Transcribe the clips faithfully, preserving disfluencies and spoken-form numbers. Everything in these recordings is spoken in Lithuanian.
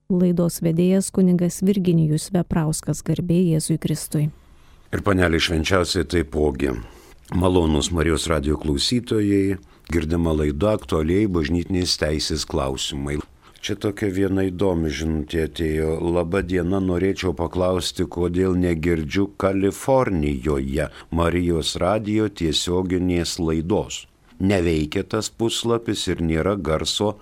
Laidos vedėjas kunigas Virginijus Veprauskas, garbė Jėzui Kristui. Ir panelė švenčiausiai taipogi. Malonūs Marijos radijo klausytojai, girdima laida aktualiai bažnytinės teisės klausimai. Čia tokia viena įdomi žinutė atėjo. Labą dieną, norėčiau paklausti, kodėl negirdžiu Kalifornijoje Marijos radijo tiesioginės laidos. Neveikia tas puslapis ir nėra garso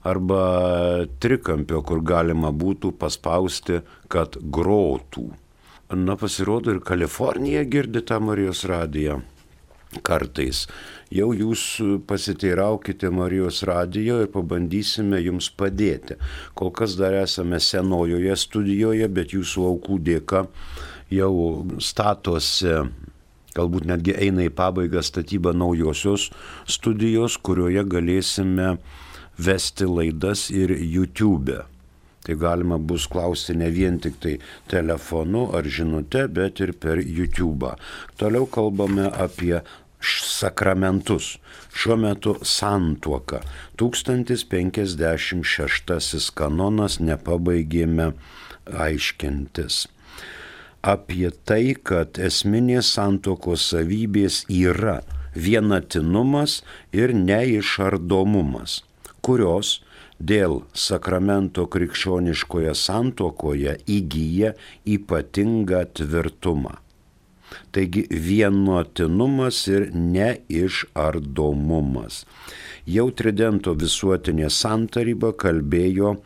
arba trikampio, kur galima būtų paspausti, kad grotų. Na, pasirodo, ir Kalifornija girdi tą Marijos radiją. Kartais. Jau jūs pasiteiraukite Marijos radijo ir pabandysime jums padėti. Kol kas dar esame senojoje studijoje, bet jūsų aukų dėka jau statosi, galbūt netgi eina į pabaigą statyba naujosios studijos, kurioje galėsime vesti laidas ir YouTube. Tai galima bus klausti ne vien tik tai telefonu ar žinute, bet ir per YouTube. Toliau kalbame apie sakramentus. Šiuo metu santuoka. tūkstantis penkiasdešimt šeštasis kanonas nepabaigėme aiškintis. Apie tai, kad esminės santuokos savybės yra vienatinumas ir neišardomumas, kurios dėl sakramento krikščioniškoje santuokoje įgyja ypatingą tvirtumą. Taigi vienatinumas ir neišardomumas. Jau Tridento visuotinė santaryba kalbėjo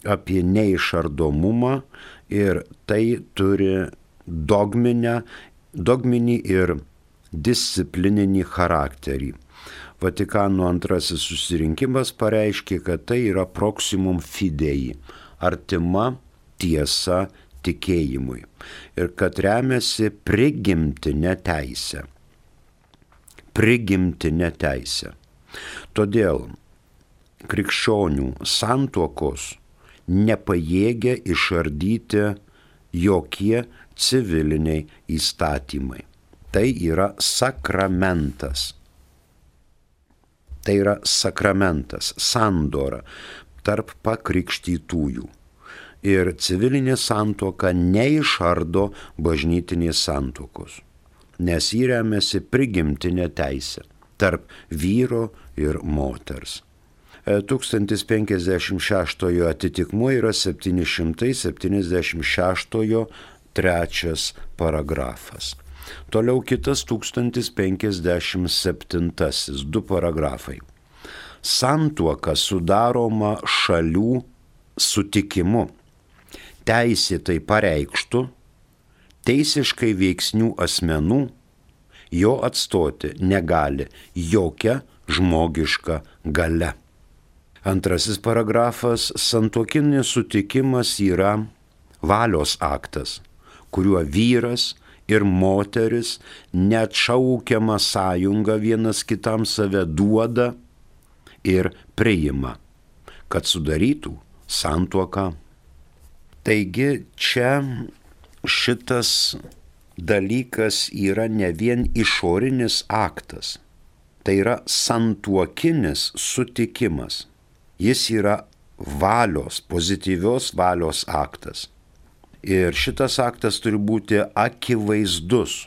apie neišardomumą ir tai turi dogminę, dogminį ir disciplininį charakterį. Vatikano antrasis susirinkimas pareiškė, kad tai yra proximum fidei, artima tiesa tikėjimui, ir kad remiasi prigimtinė teisė. Prigimtinė teisė. Todėl krikščionių santuokos nepajėgia išardyti jokie civiliniai įstatymai. Tai yra sakramentas. Tai yra sakramentas, sandora tarp pakrikštytųjų. Ir civilinė santuoka neišardo bažnytinės santuokos, nes jį remiasi prigimtinė teisė tarp vyro ir moters. tūkstantis penkiasdešimt šeštojo atitikmuo yra septyni šimtai septyniasdešimt šeštojo trečias paragrafas. Toliau kitas tūkstantis penkiasdešimt septintasis, du paragrafai. Santuoka sudaroma šalių sutikimu, teisėtai pareikštų, teisiškai veiksnių asmenų, jo atstoti negali jokia žmogiška galia. Antrasis paragrafas, santuokinis sutikimas yra valios aktas, kuriuo vyras ir moteris neatšaukiamą sąjungą vienas kitam save duoda ir priima, kad sudarytų santuoką. Taigi čia šitas dalykas yra ne vien išorinis aktas, tai yra santuokinis sutikimas. Jis yra valios, pozityvios valios aktas. Ir šitas aktas turi būti akivaizdus,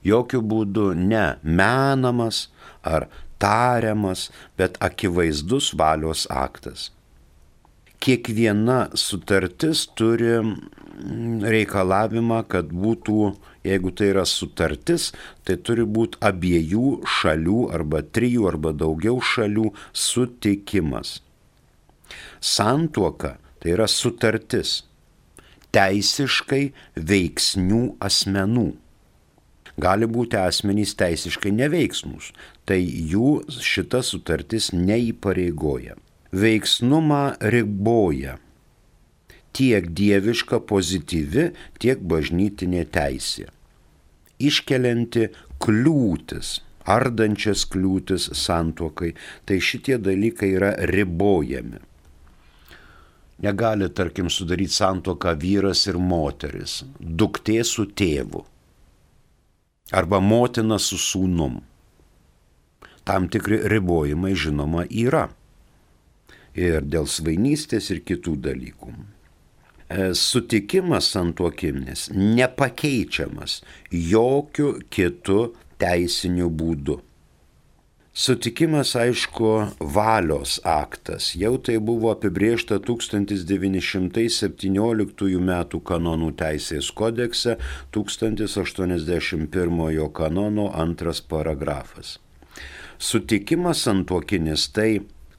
jokių būdų ne menamas ar tariamas, bet akivaizdus valios aktas. Kiekviena sutartis turi reikalavimą, kad būtų, jeigu tai yra sutartis, tai turi būti abiejų šalių arba trijų arba daugiau šalių sutikimas. Santuoka tai yra sutartis teisiškai veiksnių asmenų. Gali būti asmenys teisiškai neveiksnūs, tai jų šita sutartis neįpareigoja. Veiksnumą riboja tiek dieviška pozityvi, tiek bažnytinė teisė, iškelianti kliūtis, ardančias kliūtis santuokai, tai šitie dalykai yra ribojami. Negali, tarkim, sudaryti santuoką vyras ir moteris, duktė su tėvu, arba motina su sūnum. Tam tikri ribojimai, žinoma, yra. ir dėl svainystės ir kitų dalykų. Sutikimas santuokinis nepakeičiamas jokiu kitu teisiniu būdu. Sutikimas, aišku, valios aktas. Jau tai buvo apibrėžta tūkstantis devyni šimtai septynioliktųjų metų kanonų teisės kodekse, tūkstantis aštuoniasdešimt pirmojo kanono antras paragrafas. Sutikimas santuokinis tai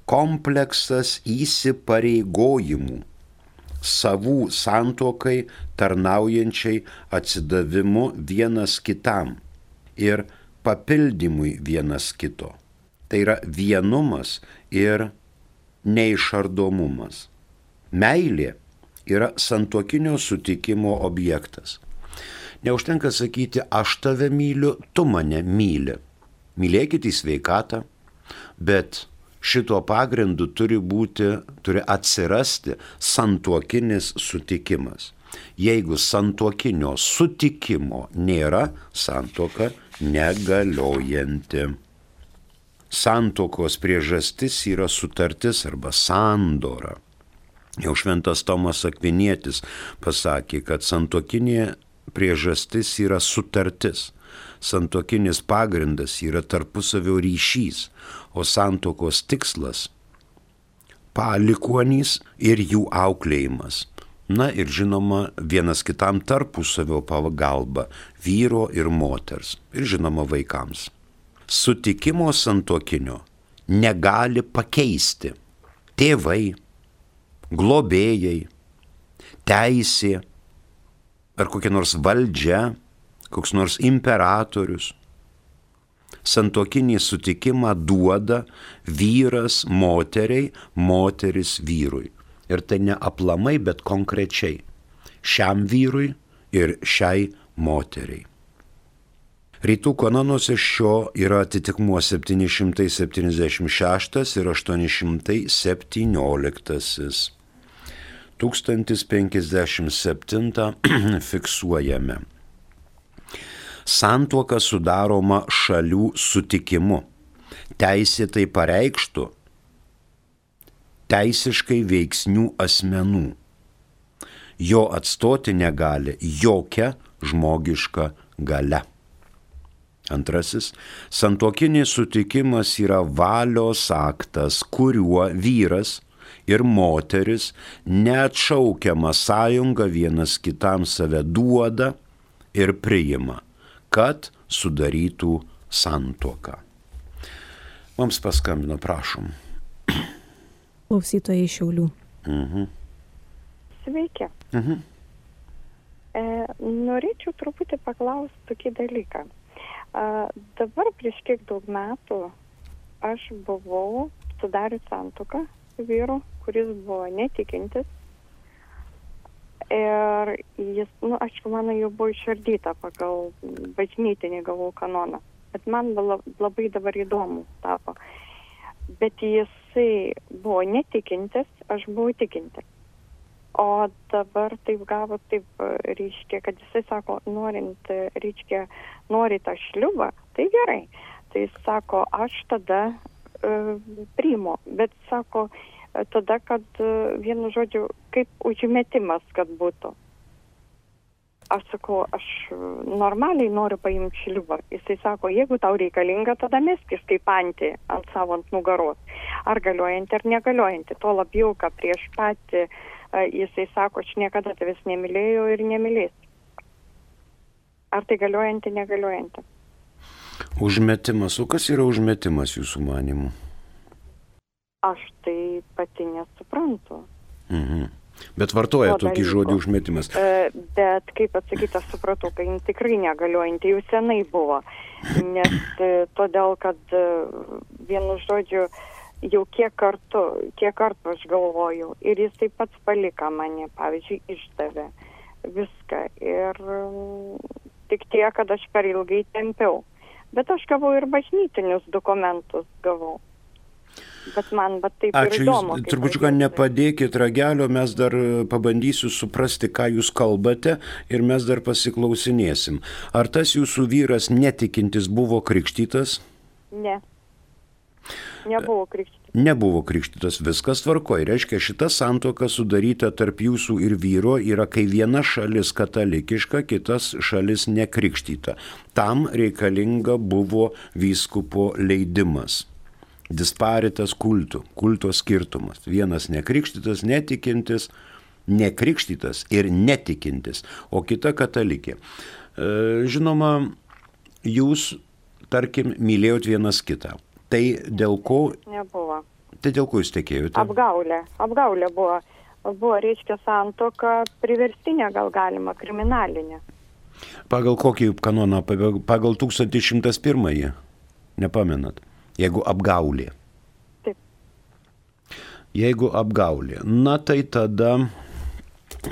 kompleksas įsipareigojimų savų santuokai tarnaujančiai atsidavimu vienas kitam ir papildymui vienas kito. Tai yra vienumas ir neišardomumas. Meilė yra santuokinio sutikimo objektas. Neužtenka sakyti, aš tave myliu, tu mane myli. Mylėkit į sveikatą, bet šito pagrindu turi būti, turi atsirasti santuokinis sutikimas. Jeigu santuokinio sutikimo nėra, santuoka negaliojanti. Santuokos priežastis yra sutartis arba sandora. Jau šventas Tomas Akvinietis pasakė, kad santuokinė priežastis yra sutartis. Santuokinis pagrindas yra tarpusavio ryšys, o santuokos tikslas – palikuonys ir jų auklėjimas. Na ir žinoma, vienas kitam tarpusavio pagalba vyro ir moters ir žinoma vaikams. Sutikimo santuokinio negali pakeisti tėvai, globėjai, teisė ar kokia nors valdžia, koks nors imperatorius. Santuokinį sutikimą duoda vyras moteriai, moteris vyrui. Ir tai ne aplamai, bet konkrečiai. Šiam vyrui ir šiai moteriai. Rytų kanonuose šio yra atitikmuo septyni šimtai septyniasdešimt šeštas ir aštuoni šimtai septynioliktasis. tūkstantis penkiasdešimt septintą fiksuojame. Santuoka sudaroma šalių sutikimu. Teisėtai pareikštų teisiškai veiksnių asmenų. Jo atstoti negali jokia žmogiška galia. Antrasis, santuokinis sutikimas yra valios aktas, kuriuo vyras ir moteris neatšaukiamą sąjungą vienas kitam save duoda ir priima, kad sudarytų santuoką. Mums paskambino, prašom. Klausytojai iš Šiaulių. Mhm. Sveiki. Mhm. E, norėčiau truputį paklausti tokį dalyką. E, dabar prieš kiek daug metų aš buvau sudarius santuoką su vyru, kuris buvo netikintis. Ir jis, nu, aišku, mano jau buvo išardyta pagal bažnytinį gavau kanoną. Bet man labai dabar įdomu tapo. Bet jisai buvo netikintis, aš buvau tikintis. O dabar taip gavo, taip reiškia, kad jisai sako, norint, reiškia, nori tą šliubą, tai gerai. Tai jis sako, aš tada uh, priimu, bet sako, tada, kad uh, vienu žodžiu, kaip užmetimas, kad būtų. Aš sakau, aš normaliai noriu paimti šliubą. Jisai sako, jeigu tau reikalinga, tada meskis kaip antį ant savo ant nugaros. Ar galiojantį, ar negaliojantį. Tuo labiau, kad prieš patį jisai sako, aš niekada tavęs nemylėjau ir nemylėsiu. Ar tai galiojantį, negaliojantį? Užmetimas. O kas yra užmetimas jūsų manimu? Aš tai pati nesuprantu. Mhm. Bet vartoja tokį žodį užmetimas. Bet, kaip atsakyti, aš supratau, kad jin tikrai negaliojanti, jau senai buvo. Nes todėl, kad vienu žodžiu, jau kiek kartų, kiek kartų aš galvojau. Ir jis taip pats palika mane, pavyzdžiui, išdavė viską. Ir tik tiek, kad aš per ilgai tempiau. Bet aš gavau ir bažnytinius dokumentus gavau. Bet man bet taip Ačiū, ir įdomu. Jūs turbūt nepadėkit ragelio, mes dar pabandysiu suprasti, ką jūs kalbate ir mes dar pasiklausinėsim. Ar tas jūsų vyras netikintis buvo krikštytas? Ne. Nebuvo krikštytas. nebuvo krikštytas, viskas tvarkoj. Reiškia, šita santuoka sudaryta tarp jūsų ir vyro yra, kai viena šalis katalikiška, kitas šalis nekrikštyta. Tam reikalinga buvo vyskupo leidimas. Disparitas kultų, kulto skirtumas. Vienas nekrikštytas, netikintis, nekrikštytas ir netikintis, o kita katalikė. Žinoma, jūs, tarkim, mylėjot vienas kitą. Tai dėl ko... Nebuvo. Tai dėl ko jūs tekėjote? Apgaulė. Apgaulė buvo. Buvo, reiškia, santuoka priverstinė, gal galima, kriminalinė. Pagal kokį kanoną? Pagal tūkstantis šimtas pirmąjį? Nepamenat? Jeigu apgaulė. Taip. Jeigu apgaulė. Na tai tada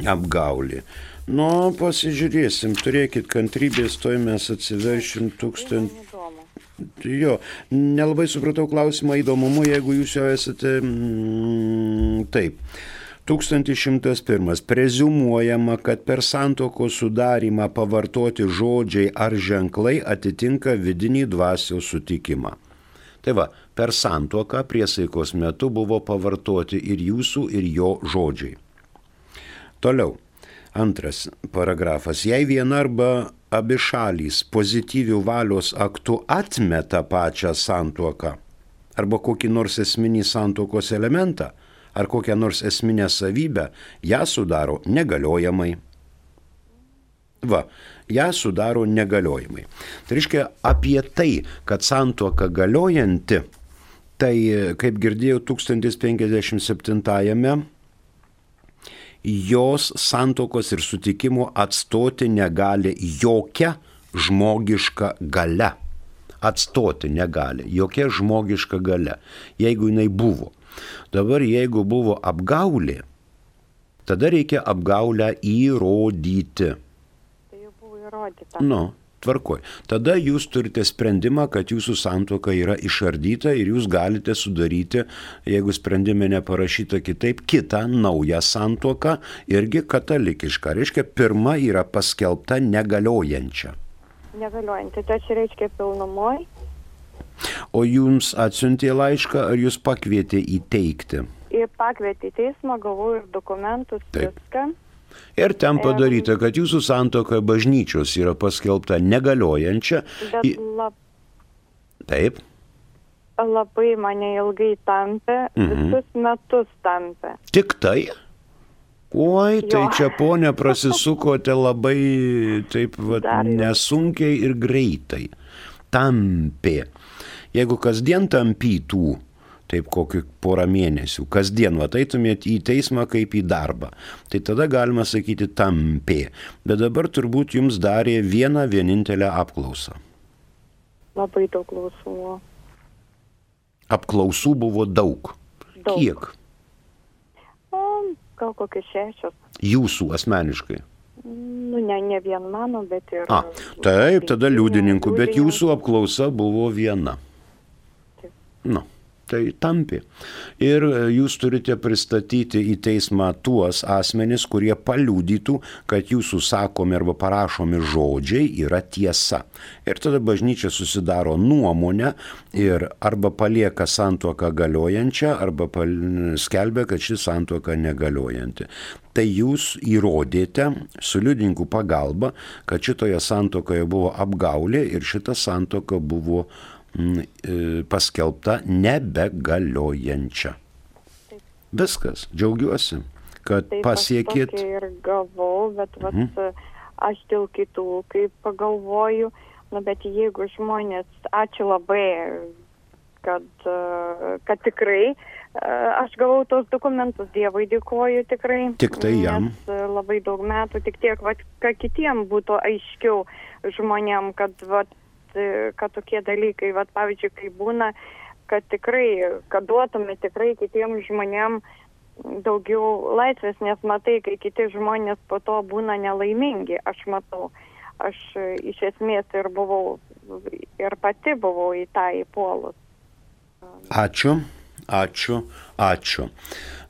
apgaulė. Nu, pasižiūrėsim, turėkit kantrybės, toj mes atsiveršim tūkstantį. Jo, nelabai supratau klausimą įdomumu, jeigu jūs jau esate... Mm, taip. tūkstantis šimtas pirmas. Preziumuojama, kad per santuokos sudarymą pavartoti žodžiai ar ženklai atitinka vidinį dvasios sutikimą. Tai va, per santuoką priesaikos metu buvo pavartoti ir jūsų, ir jo žodžiai. Toliau. Antras paragrafas. Jei viena arba abi šalys pozityvių valios aktų atmeta pačią santuoką arba kokį nors esminį santuokos elementą ar kokią nors esminę savybę, ją sudaro negaliojamai. Va, ją sudaro negaliojamai. Tai reiškia, apie tai, kad santuoka galiojanti, tai, kaip girdėjau, tūkstantis penkiasdešimt septintajame jos santuokos ir sutikimo atstoti negali jokia žmogiška galia. Atstoti negali jokia žmogiška galia, jeigu jinai buvo. Dabar jeigu buvo apgaulė, tada reikia apgaulę įrodyti. Tai jau buvo įrodyta. Nu, tvarkoj. Tada jūs turite sprendimą, kad jūsų santuoka yra išardyta ir jūs galite sudaryti, jeigu sprendime neparašyta kitaip, kitą naują santuoką, irgi katalikišką. Reiškia, pirma yra paskelbta negaliojančia. Negaliojanti, tai čia reiškia pilnumoj. O jums atsiuntė laišką, ar jūs pakvietė įteikti? Ir pakvietė į teismą, gavau ir dokumentus, Taip. viską. Ir ten padaryta, kad jūsų santuoka bažnyčios yra paskelbta negaliojančia. Bet lab... Taip. Labai mane ilgai tampė, mhm. visus metus tampė. Tik tai? Oi, tai Jo. čia ponė prasisukote labai taip vat, nesunkiai ir greitai. Tampė. Jeigu kasdien tampytų, taip kokį porą mėnesių, kasdien va eitumėt į teismą kaip į darbą, tai tada galima sakyti tampė. Bet dabar turbūt jums darė vieną vienintelę apklausą. Labai daug klausų. Apklausų buvo daug. Daug. Kiek? O, gal kokios šešios. Jūsų asmeniškai? Nu, ne, ne vien mano, bet ir... A, taip, tada liudininkų, bet jūsų apklausa buvo viena. Taip. Nu. Tai tampi. Ir jūs turite pristatyti į teismą tuos asmenis, kurie paliudytų, kad jūsų sakomi arba parašomi žodžiai yra tiesa. Ir tada bažnyčia susidaro nuomonę ir arba palieka santuoką galiojančią, arba skelbia, kad ši santuoka negaliojanti. Tai jūs įrodėte su liudininkų pagalba, kad šitoje santuokoje buvo apgaulė ir šita santuoka buvo paskelbta nebegaliojančia. Taip. Viskas, džiaugiuosi, kad Taip, pasiekėt. Taip, aš ir gavau, bet vat, mhm. aš dėl kitų, kaip pagalvoju, nu, bet jeigu žmonės, ačiū labai, kad, kad tikrai, aš gavau tos dokumentus, Dievui dėkoju tikrai. Tik tai jam. Nes labai daug metų, tik tiek, vat, kad kitiem būtų aiškiau žmonėm, kad vat, kad tokie dalykai, vat, pavyzdžiui, kai būna, kad tikrai, kad duotume tikrai kitiem žmonėm daugiau laisvės, nes matai, kai kiti žmonės po to būna nelaimingi, aš matau, aš iš esmės ir buvau, ir pati buvau į tą įpuolus. Ačiū, ačiū, ačiū.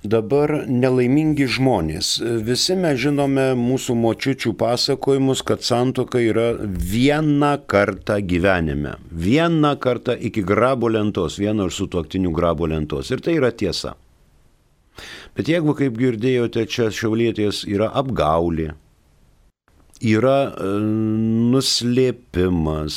Dabar nelaimingi žmonės. Visi mes žinome mūsų močiučių pasakojimus, kad santuoka yra vieną kartą gyvenime. Vieną kartą iki grabo lentos, vieno iš sutuoktinių grabo lentos. Ir tai yra tiesa. Bet jeigu, kaip girdėjote, čia šiaulietės yra apgaulė, yra nuslėpimas,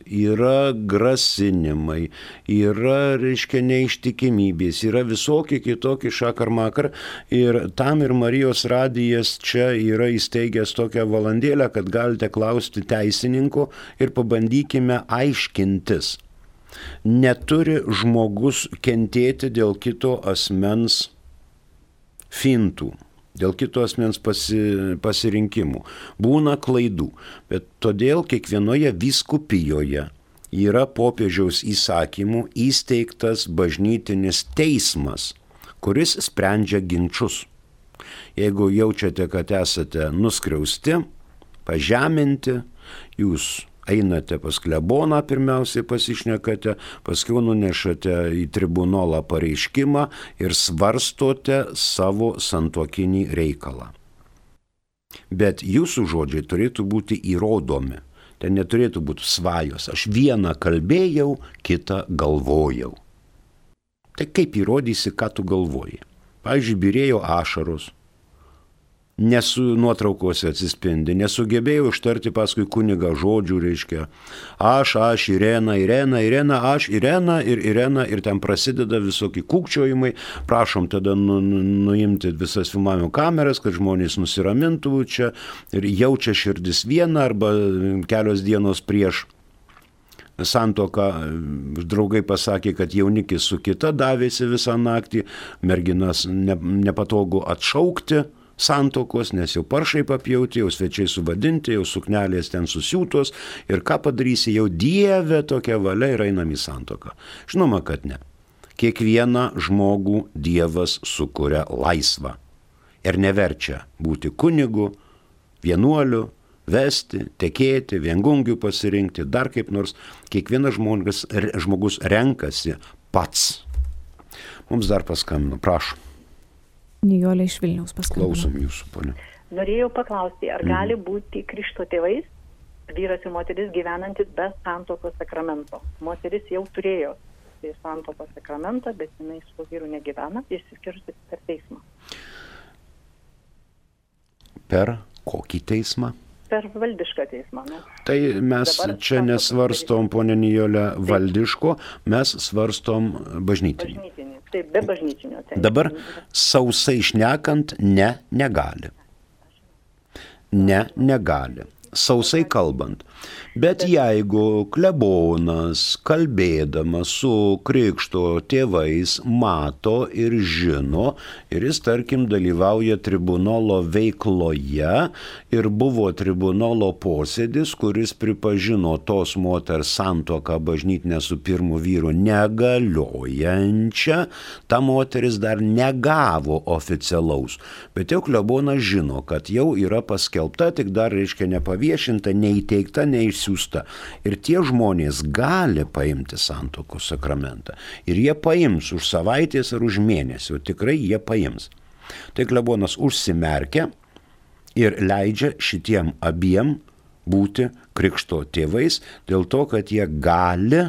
yra grasinimai, yra, reiškia, neištikimybės, yra visokie kitokie šakar-makar. Ir tam ir Marijos radijas čia yra įsteigęs tokią valandėlę, kad galite klausti teisininko ir pabandykime aiškintis. Neturi žmogus kentėti dėl kito asmens fintų. Dėl kito asmens pasi, pasirinkimų. Būna klaidų, bet todėl kiekvienoje vyskupijoje yra popiežiaus įsakymų įsteigtas bažnytinis teismas, kuris sprendžia ginčus. Jeigu jaučiate, kad esate nuskriausti, pažeminti, jūs einate pas kleboną, pirmiausiai pasišnekate, paskui nunešate į tribunolą pareiškimą ir svarstote savo santuokinį reikalą. Bet jūsų žodžiai turėtų būti įrodomi. Ten neturėtų būti svajos. Aš vieną kalbėjau, kitą galvojau. Tai kaip įrodysi, ką tu galvoji? Pavyzdžiui, byrėjo ašaros. Nesu nuotraukose atsispindi, nesugebėjau ištarti paskui kunigą žodžių, reiškia, aš, aš, Irena, Irena, Irena, aš, Irena ir Irena, ir ten prasideda visokie kūkčiojimai, prašom tada nu, nu, nuimti visas filmavimo kameras, kad žmonės nusiramintų čia ir jaučia širdis vieną arba kelios dienos prieš santuoką draugai pasakė, kad jaunikis su kita davėsi visą naktį, merginas ne, nepatogu atšaukti santuokos, nes jau paršai papjauti, jau svečiai suvadinti, jau suknelės ten susiūtos ir ką padarysi, jau Dieve tokia valia ir einam į santuoką. Žinoma, kad ne. Kiekvieną žmogų Dievas sukuria laisvą ir neverčia būti kunigu, vienuoliu, vesti, tekėti, viengungių pasirinkti, dar kaip nors. Kiekvienas žmogus, žmogus renkasi pats. Mums dar paskambino, prašom. Nijolė iš Vilniaus paskambino. Klausom jūsų, ponia. Norėjau paklausti, ar mm. gali būti krikšto tėvais vyras ir moteris gyvenantis be santuokos sakramento? Moteris jau turėjo santuokos sakramentą, bet jinai su vyru negyvena, išsiskyrusi per teismą. Per kokį teismą? Per valdišką teismą. Ne? Tai mes Dabar čia nesvarstom, ponia Nijolė, valdiško, mes svarstom bažnytinį. Bažnytinį. Taip, be bažnytinio. Taip. Dabar sausai šnekant, ne, negali. Ne, negali. Sausai kalbant. Bet jeigu klebonas, kalbėdamas su krikšto tėvais, mato ir žino, ir jis, tarkim, dalyvauja tribunolo veikloje ir buvo tribunolo posėdis, kuris pripažino tos moters santuoką bažnytinę su pirmu vyru negaliojančią, ta moteris dar negavo oficialaus. Bet jau klebonas žino, kad jau yra paskelbta, tik dar, reiškia, nepaviešinta, neįteikta, neišsiųsta. Ir tie žmonės gali paimti santuokos sakramentą. Ir jie paims už savaitės ar už mėnesį, tikrai jie paims. Tai klebonas užsimerkia ir leidžia šitiem abiem būti krikšto tėvais, dėl to, kad jie gali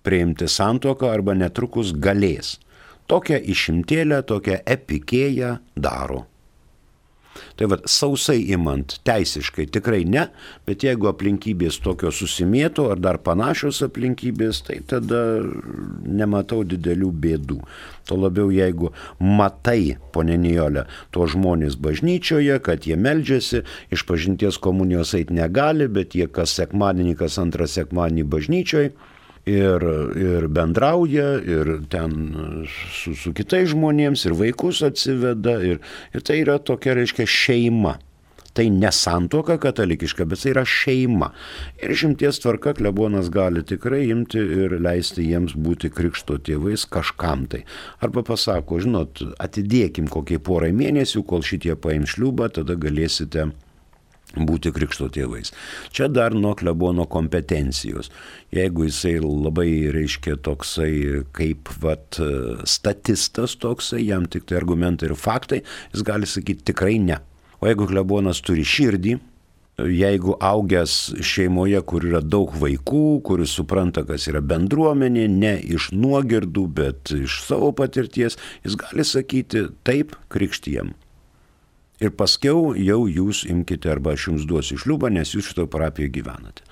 priimti santuoką arba netrukus galės. Tokią išimtėlę, tokią epikėją daro. Tai vad, sausai imant teisiškai tikrai ne, bet jeigu aplinkybės tokios susimėto ar dar panašios aplinkybės, tai tada nematau didelių bėdų. To labiau, jeigu matai, ponia Nijolė, to žmonės bažnyčioje, kad jie meldžiasi, iš pažinties komunijos eit negali, bet jie kas sekmadienį, kas antrą sekmadienį bažnyčioje, Ir, ir bendrauja, ir ten su, su kitais žmonėms, ir vaikus atsiveda, ir, ir tai yra tokia, reiškia, šeima. Tai ne santuoka katalikiška, bet tai yra šeima. Ir išimties tvarka klebonas gali tikrai imti ir leisti jiems būti krikšto tėvais kažkam tai. Arba pasako, žinot, atidėkim kokiai porai mėnesių, kol šitie paims šliūbą, tada galėsite būti krikšto tėvais. Čia dar nuo klebono kompetencijos. Jeigu jisai labai, reiškia, toksai kaip vat, statistas toksai, jam tik tai argumentai ir faktai, jis gali sakyti tikrai ne. O jeigu klebonas turi širdį, jeigu augęs šeimoje, kur yra daug vaikų, kuris supranta, kas yra bendruomenė, ne iš nuogirdų, bet iš savo patirties, jis gali sakyti taip, krikštijam. Ir paskiau jau jūs imkite arba aš jums duosiu šliubą, nes jūs šito parapijoje gyvenate.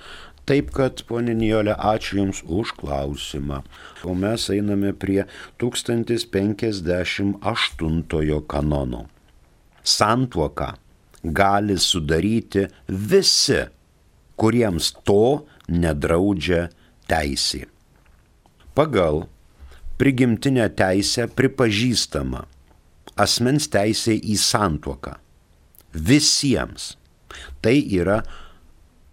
Taip kad, ponė Nijolė, ačiū Jums už klausimą. O mes einame prie tūkstantis penkiasdešimt aštuntojo kanono. Santuoką gali sudaryti visi, kuriems to nedraudžia teisė. Pagal prigimtinę teisę pripažįstama asmens teisė į santuoką. Visiems. Tai yra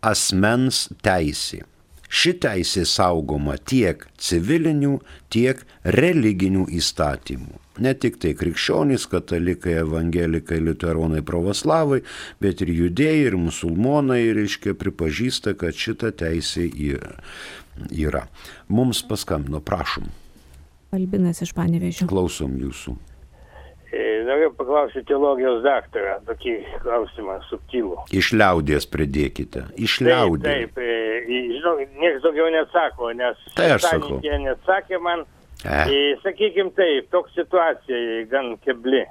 asmens teisė. Ši teisė saugoma tiek civilinių, tiek religinių įstatymų. Ne tik tai krikščionys, katalikai, evangelikai, liuteronai, pravoslavai, bet ir judėjai ir musulmonai, reiškia, pripažįsta, kad šita teisė yra. Mums paskambino, prašom. Albinas iš Panevėžio. Klausom jūsų. Noriu paklausyti teologijos daktarą, tokį klausimą subtilų. Iš liaudies pridėkite. Iš liaudies. Taip, taip. Žinau, niekas daugiau neatsako, nes tai aš sakau. Jie neatsakė man. E. Sakykim taip, toks situacija gan kebli.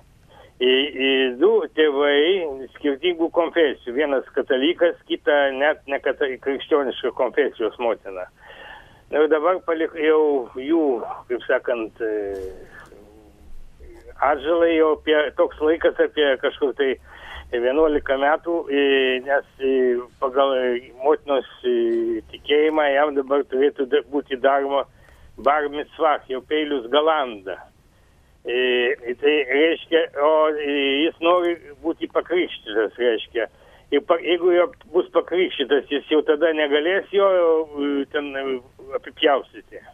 E, e, du tėvai skirtingų konfesijų. Vienas katalikas, kita net ne katalik, krikščioniška konfesijos motina. Ir dabar palik jau jų, kaip sakant, atžalai jau apie, toks laikas apie kažkur tai vienuolika metų, nes pagal motinos tikėjimą jam dabar turėtų būti daroma bar mitzvah, jau peilius galanda. Tai reiškia, o jis nori būti pakrikštytas, reiškia. Ir jeigu jo bus pakrikštytas, jis jau tada negalės jo ten apipjaustyti.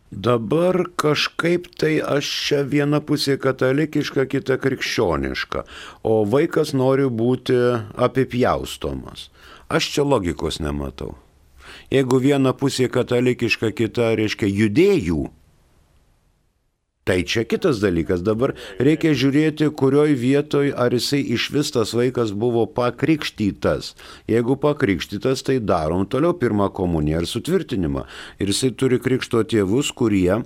Dabar kažkaip tai aš čia viena pusė katalikiška, kita krikščioniška, o vaikas nori būti apipjaustomas. Aš čia logikos nematau. Jeigu viena pusė katalikiška, kita, reiškia, judėjų, tai čia kitas dalykas. Dabar reikia žiūrėti, kurioj vietoj ar jisai iš vis tas vaikas buvo pakrikštytas. Jeigu pakrikštytas, tai darom toliau pirmą komuniją ir sutvirtinimą. Ir jisai turi krikšto tėvus, kurie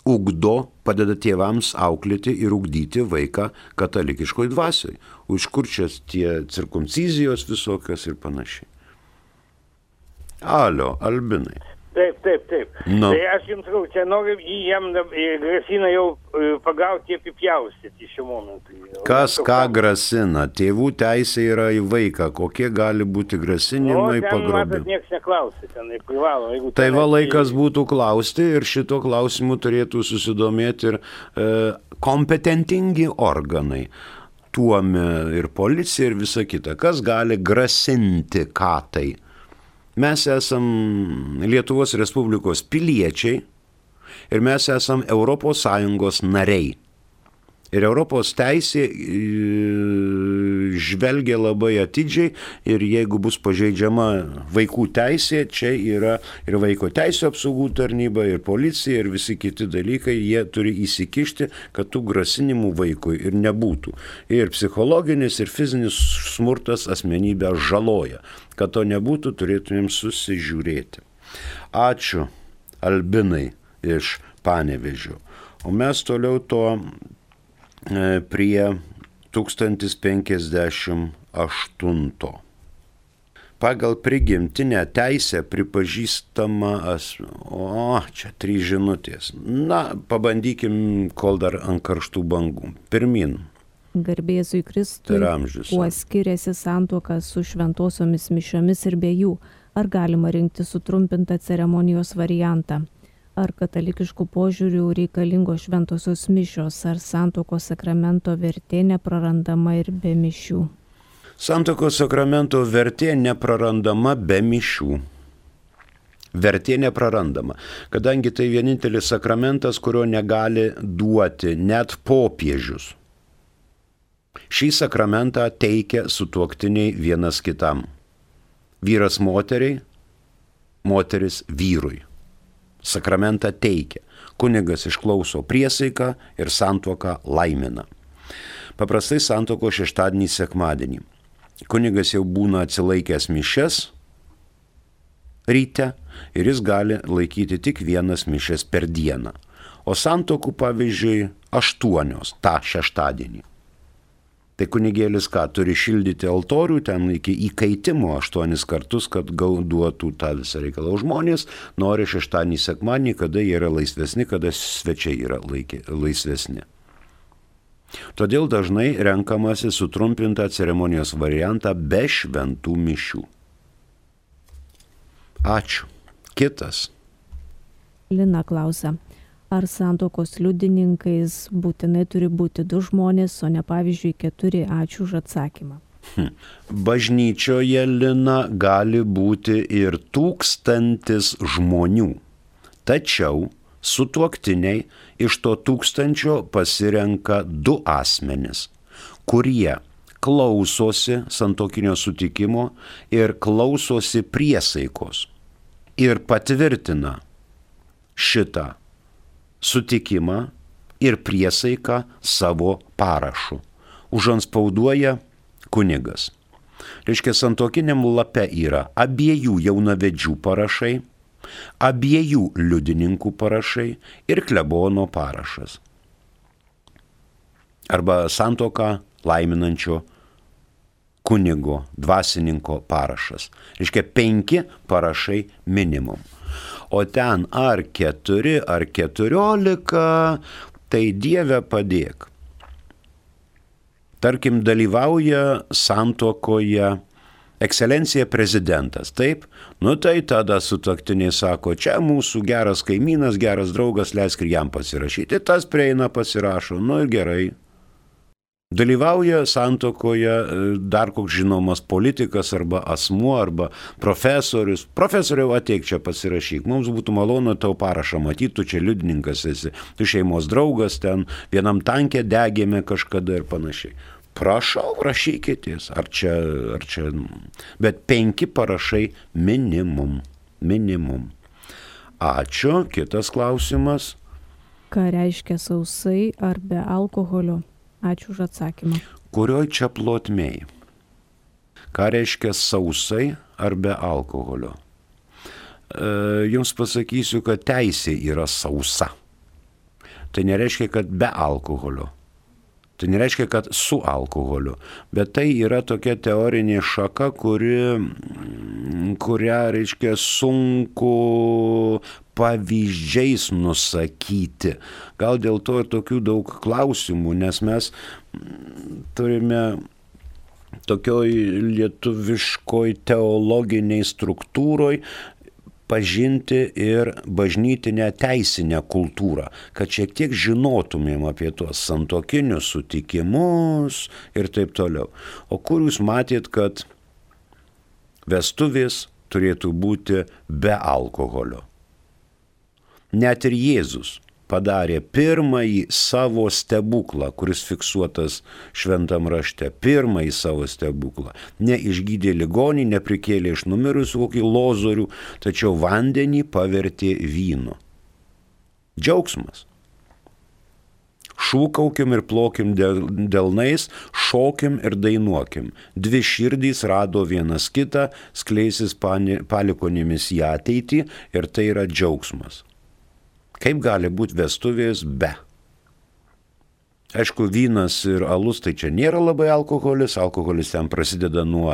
ugdo, padeda tėvams auklėti ir ugdyti vaiką katalikiškoj dvasioj. Už kur čia tie cirkumcizijos visokios ir panašiai. Alio, Albinai. Taip, taip, taip. No. Tai aš jums sakau, čia noriu jam grasina jau pagauti apipjaustyti šiuo momentu. Kas ką grasina? Tėvų teisė yra į vaiką. Kokie gali būti grasinimai pagrobti? Nu, ten matot, nieks neklausia, ten privalo. Tai va laikas būtų klausti ir šito klausimu turėtų susidomėti ir e, kompetentingi organai. Tuomi ir policija ir visa kita. Kas gali grasinti ką tai? Mes esam Lietuvos Respublikos piliečiai ir mes esam Europos Sąjungos nariai. Ir Europos teisė žvelgia labai atidžiai ir jeigu bus pažeidžiama vaikų teisė, čia yra ir vaiko teisų apsaugų tarnyba, ir policija, ir visi kiti dalykai, jie turi įsikišti, kad tų grasinimų vaikui ir nebūtų. Ir psichologinis, ir fizinis smurtas asmenybę žaloja. Kad to nebūtų, turėtumėm susižiūrėti. Ačiū, Albinai iš Panevėžio. O mes toliau to prie tūkstantis penkiasdešimt aštunto. Pagal prigimtinę teisę pripažįstama asmo. O, čia trys žinutės. Na, pabandykim, kol dar ant karštų bangų. Pirmin. Garbėzui Kristui, kuo skiriasi santuoka su šventosiomis mišiomis ir be jų? Ar galima rinkti sutrumpintą ceremonijos variantą? Ar katalikiškų požiūrių reikalingos šventosios mišios, ar santuokos sakramento vertė neprarandama ir be mišių? Santuokos sakramento vertė neprarandama be mišių. Vertė neprarandama, kadangi tai vienintelis sakramentas, kurio negali duoti net popiežius. Šį sakramentą teikia sutuoktiniai vienas kitam. Vyras moteriai, moteris vyrui. Sakramentą teikia. Kunigas išklauso priesaiką ir santuoką laimina. Paprastai santuoko šeštadienį, sekmadienį. Kunigas jau būna atsilaikęs mišias ryte ir jis gali laikyti tik vienas mišias per dieną. O santuokų, pavyzdžiui, aštuonios tą šeštadienį. Tai kunigėlis ką, turi šildyti altorių ten iki įkaitimo aštuonis kartus, kad duotų tą visą reikalą. Žmonės nori šeštadienį, sekmadienį, kada jie yra laisvesni, kada svečiai yra laikė, laisvesni. Todėl dažnai renkamasi sutrumpintą ceremonijos variantą be šventų mišių. Ačiū. Kitas. Lina klausia, ar santuokos liudininkais būtinai turi būti du žmonės, o ne pavyzdžiui keturi? Ačiū už atsakymą. Hm. Bažnyčioje, Lina, gali būti ir tūkstantis žmonių. Tačiau sutuoktiniai iš to tūkstančio pasirenka du asmenis, kurie klausosi santuokinio sutikimo ir klausosi priesaikos ir patvirtina šitą sutikimą ir priesaiką savo parašu. Užantspauduoja kunigas. Reiškia, santuokiniam lape yra abiejų jaunavedžių parašai, abiejų liudininkų parašai ir klebono parašas. Arba santuoką laiminančio kunigo, dvasininko parašas. Reiškia, penki parašai minimum. O ten ar keturi, ar keturiolika, tai Dieve padėk. Tarkim, dalyvauja santuokoje ekscelencija prezidentas, taip? Nu tai tada sutuoktiniai sako, čia mūsų geras kaimynas, geras draugas, leisk ir jam pasirašyti. Tas prieina, pasirašo, nu ir gerai. Dalyvauja santuokoje dar koks žinomas politikas arba asmuo arba profesorius. Profesoriau, ateik čia pasirašyk, mums būtų malonu tau parašą matyti, tu čia liudininkas esi, tu šeimos draugas ten, vienam tankė degėme kažkada ir panašiai. Prašau, rašykitės, ar čia, ar čia, bet penki parašai minimum, minimum. Ačiū, kitas klausimas. Ką reiškia sausai ar be alkoholio? Ačiū už atsakymą. Kurioj čia plotmėj? Ką reiškia sausai ar be alkoholio? E, jums pasakysiu, kad teisė yra sausa. Tai nereiškia, kad be alkoholio. Tai nereiškia, kad su alkoholiu. Bet tai yra tokia teorinė šaka, kuri, kurią, reiškia, sunku pavyzdžiais nusakyti. Gal dėl to ir tokių daug klausimų, nes mes turime tokioj lietuviškoj teologiniai struktūroj pažinti ir bažnytinę teisinę kultūrą, kad šiek tiek žinotumėm apie tuos santuokinius sutikimus ir taip toliau. O kur jūs matėt, kad vestuvės turėtų būti be alkoholio? Net ir Jėzus padarė pirmąjį savo stebuklą, kuris fiksuotas šventam rašte, pirmąjį savo stebuklą. Neišgydė ligonį, neprikėlė iš numirusių kokį lozorių, tačiau vandenį pavertė vynu. Džiaugsmas. Šūkaukim ir plokim delnais, šokim ir dainuokim. Dvi širdys rado vienas kitą, skleisis palikuonimis į ateitį ir tai yra džiaugsmas. Kaip gali būti vestuvės be? Aišku, vynas ir alus tai čia nėra labai alkoholis, alkoholis ten prasideda nuo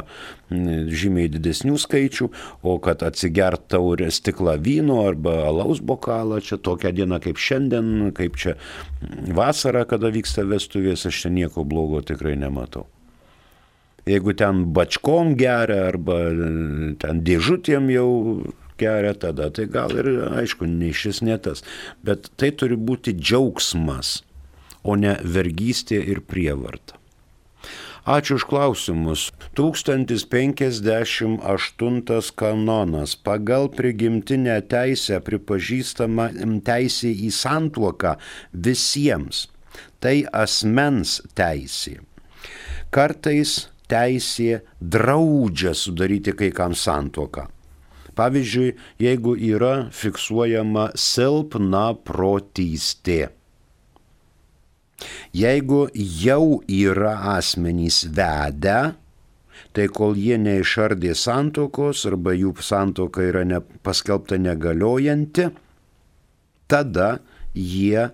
žymiai didesnių skaičių, o kad atsigert taurę stiklą vyno arba alaus bokalą, čia tokią dieną kaip šiandien, kaip čia vasara, kada vyksta vestuvės, aš čia nieko blogo tikrai nematau. Jeigu ten bačkom geria arba ten dėžutėm jau geria, tada tai gal ir, aišku, nei šis, ne tas. Bet tai turi būti džiaugsmas, o ne vergystė ir prievarta. Ačiū už klausimus. tūkstantis penkiasdešimt aštuntas kanonas. Pagal prigimtinę teisę pripažįstama teisė į santuoką visiems. Tai asmens teisė. Kartais teisė draudžia sudaryti kai kam santuoką. Pavyzdžiui, jeigu yra fiksuojama silpna protystė. Jeigu jau yra asmenys vedę, tai kol jie neišardė santuokos arba jų santuoka yra ne, paskelbta negaliojanti, tada jie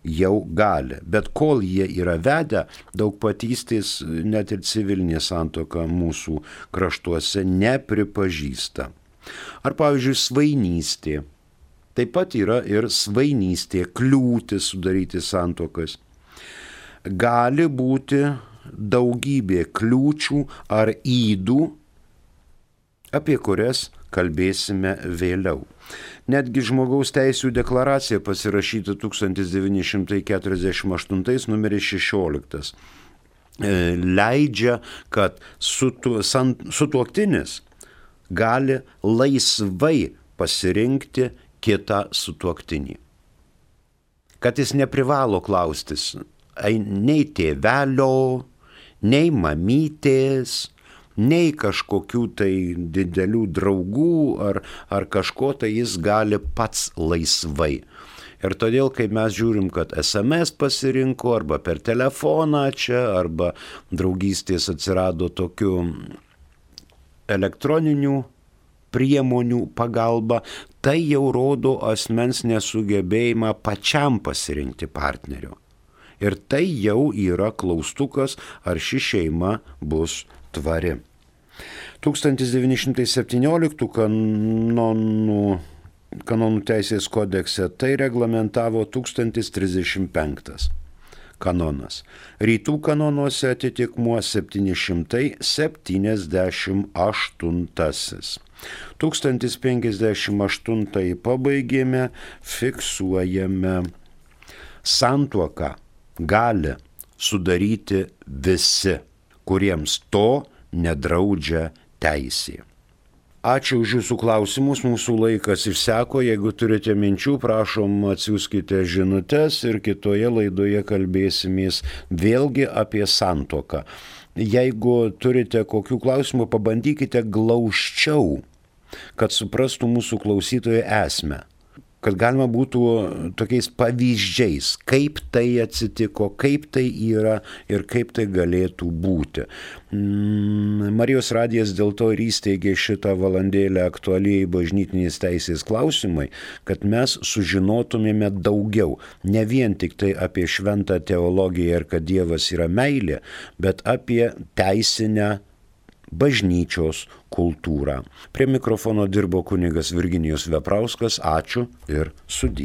jau gali. Bet kol jie yra vedę, daugpatystės net ir civilinė santuoka mūsų kraštuose nepripažįsta. Ar pavyzdžiui svainystė. Taip pat yra ir svainystė, kliūtis sudaryti santuokas. Gali būti daugybė kliūčių ar ydų, apie kurias kalbėsime vėliau. Netgi Žmogaus teisių deklaracija pasirašyta tūkstantis devyni šimtai keturiasdešimt aštuntais numeris šešioliktas leidžia, kad sutuoktinis gali laisvai pasirinkti kitą sutuoktinį. Kad jis neprivalo klaustis nei tėvelio, nei mamytės, nei kažkokių tai didelių draugų ar, ar kažko, tai jis gali pats laisvai. Ir todėl, kai mes žiūrim, kad es em es pasirinko arba per telefoną čia, arba draugystės atsirado tokių elektroninių priemonių pagalba, tai jau rodo asmens nesugebėjimą pačiam pasirinkti partnerio. Ir tai jau yra klaustukas, ar ši šeima bus tvari. tūkstantis devyni šimtai septynioliktų kanonų, kanonų teisės kodekse tai reglamentavo tūkstantis trisdešimt penktas kanonas. Rytų kanonuose atitikmuo septyni šimtai septyniasdešimt aštuntasis. tūkstantis penkiasdešimt aštuntąjį pabaigėme, fiksuojame. Santuoką gali sudaryti visi, kuriems to nedraudžia teisė. Ačiū už jūsų klausimus, mūsų laikas išseko, jeigu turite minčių, prašom atsiųskite žinutes ir kitoje laidoje kalbėsimės vėlgi apie santuoką. Jeigu turite kokių klausimų, pabandykite glausčiau, kad suprastų mūsų klausytojai esmę, kad galima būtų tokiais pavyzdžiais, kaip tai atsitiko, kaip tai yra ir kaip tai galėtų būti. Marijos radijas dėl to ir įsteigė šitą valandėlę aktualiai bažnytinės teisės klausimai, kad mes sužinotumėme daugiau, ne vien tik tai apie šventą teologiją ir kad Dievas yra meilė, bet apie teisinę bažnyčios kultūrą. Prie mikrofono dirbo kunigas Virginijus Veprauskas. Ačiū ir sudie.